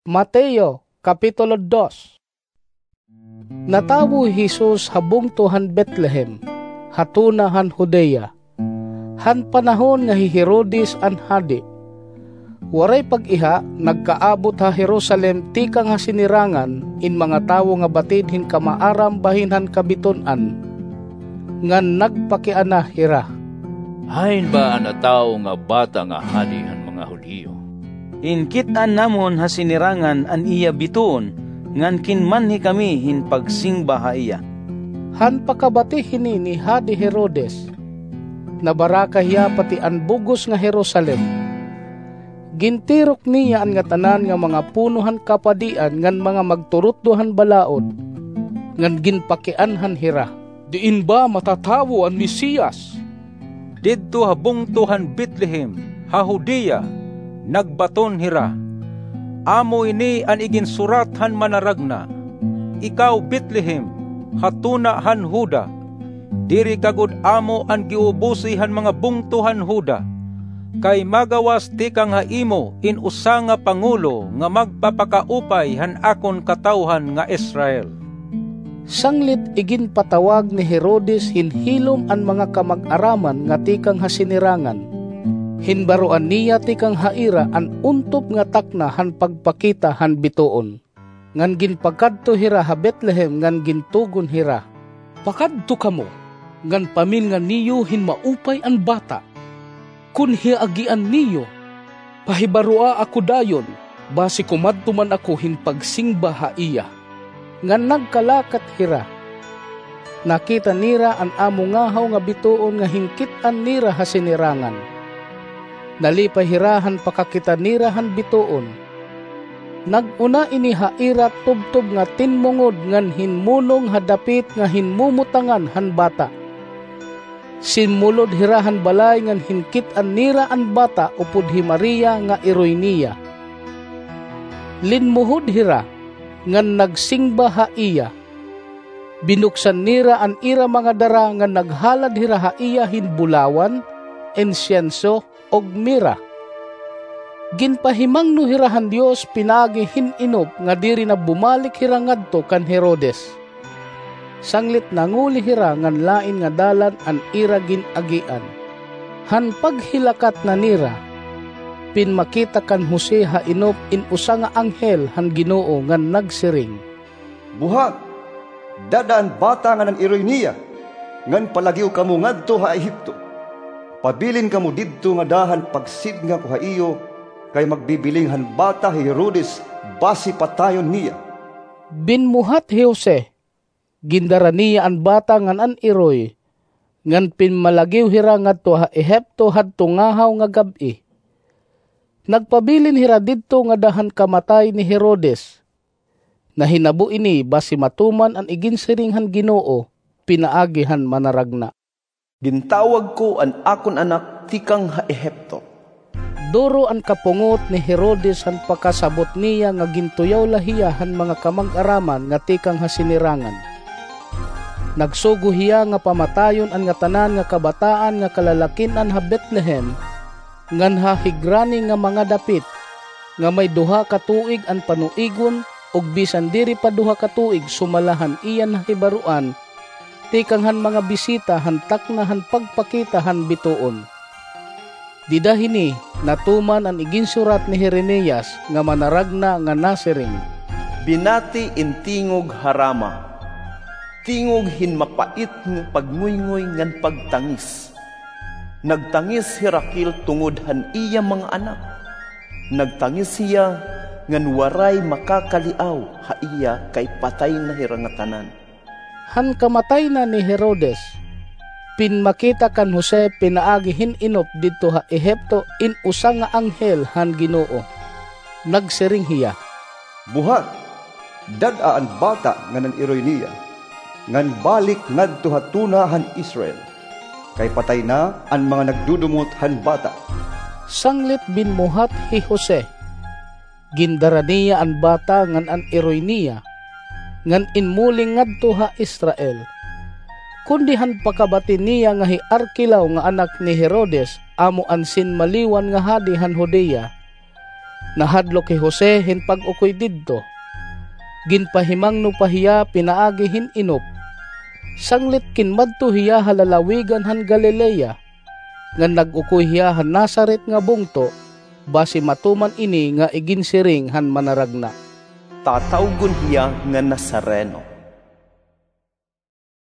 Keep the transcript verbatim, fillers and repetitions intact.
Mateo, Kapitulo dos. Natawo hi Jesus ha bungto han Betlehem, ha tuna han Judea, han panahon nga hi Herodes an hadi. Waray pag-iha, nagkaabot ha Jerusalem tikang ha sinirangan in mga tawo nga batid hin kamaaram bahin han kabitun-an, ngan nagpakiana hira, "Hain ba an natawo nga bata nga hadi han mga Judio? Hinkit-an namon ha sinirangan an iya bituon, ngan kinmanhi kami hin pagsingba ha iya." Han pakabati hini ni Hadi Herodes, nabaraka hiya pati an bug-os nga Jerusalem. Gintirok niya an ngatanan nga mga puno han kapadian ngan mga magturutdo han balaod, ngan ginpakianhan hira, "Diin ba matatawo an Mesias?" Didto ha bungto han Betlehem, ha Judea, nagbaton hira, "Amo ini an iginsurat han Manaragna: 'Ikaw, Betlehem, ha tuna han Juda, diri ka gud amo an giubusi han mga bungto han Juda, kay magawas tikang ha imo in usa nga pangulo nga magpapakaupay han akon katawhan nga Israel.'" Sanglit iginpatawag ni Herodes hin hilom an mga kamag-araman nga tikang ha sinirangan. Hinbaroan niya tikang ha ira an untop nga takna han pagpakita han bituon. Ngan ginpakadto hira ha Betlehem ngan gintugon hira, "Pakadto kamo, ngan pamilngan niyo hin maupay an bata. Kon hiya agian niyo, pahibaroa ako dayon, basi kumadto man ako hin pagsingba ha iya." Ngan nagkalakat hira. Nakita nira an amo ngahaw nga bituon nga hinkit-an nira ha sinirangan. Nalipay hira han pakakita nira han bituon. Nag-una ini ha ira tubtob nga tinmungod ngan hinmunong ha dapit nga hinmumutangan han bata. Sinmulod hira han balay ngan hinkit-an nira an bata upod hi Maria nga iroy niya. Linmuhod hira ngan nagsingba ha iya. Binuksan nira an ira mga dara ngan naghalad hira ha iya hin bulawan, insyenso, ug mira. Ginpahimangno hira han Dios pinaagi hin inop nga diri na bumalik hira ngadto kan Herodes. Sanglit nanguli hira ngan lain nga dalan an ira gin-agian. Han paghilakat na nira, pinmakita kan Jose ha inop in usa nga anghel han Ginoo ngan nagsiring, "Buhat, dad-a an bata ngan an iroy niya, ngan palagiw kamo ngadto ha Ehipto. Pabilin kamo didto ngada han pagsidnga ko ha iyo, kay magbibiling han bata hi Herodes basi patayon niya." Binmuhat hi Jose, gindara niya an bata ngan an iroy, ngan pinmalagiw hira ngadto ha Ehipto hadto ngahaw nga gab-i. Nagpabilin hira didto ngada han kamatay ni Herodes. Nahinabo ini basi matuman an iginsiring han Ginoo pinaagi han Manaragna, "Gintawag ko an akon anak tikang ha Ehipto." Duro an kapungot ni Herodes han pakasabot niya nga gintuyaw la hiya han mga kamag-araman nga tikang ha sinirangan. Nagsugo hiya nga pamatayon an ngatanan nga kabataan nga kalalakin-an ha Betlehem, ngan ha higrani nga mga dapit, nga may duha ka tuig an panuigon, ug bisan diri pa duha ka tuig sumala han iya nahibaroan, tikang han mga bisita han takna han pagpakita han bituon. Dida hini natuman an iginsurat ni Jeremias nga manaragna nga nasiring, "Binati in tingog ha Rama, tingog hin mapait nga pagngoyngoy ngan pagtangis. Nagtangis hi Raquel tungod han iya mga anak. Nagtangis hiya ngan waray makakaliaw ha iya kay patay na hira ngatanan." Han kamatay na ni Herodes, pinmakita kan Jose pinaagi hin inop didto ha Ehipto in usa nga anghel han Ginoo. Nagsiring hiya, "Buhat, dad-a an bata ngan an iroy niya, ngan balik ngadto ha tuna han Israel, kay patay na an mga nagdudumot han bata." Sanglit binmuhat hi Jose. Gindara niya an bata ngan an iroy niya, ngan inmuling ngadto ha Israel. Kundi han pakabati niya nga hi Arkelao nga anak ni Herodes amo an sinmaliwan nga hadi han Judea, Nahadlok hi Jose hin pag-ukoy didto. Ginpahimangno pa hiya pinaagi hin inop. Sanglit kinmadto hiya ha lalawigan han Galilea, ngan nag-ukoy hiya ha Nazaret nga bungto, basi matuman ini nga iginsiring han Manaragna. Tatawgon hiya nga Nazareno.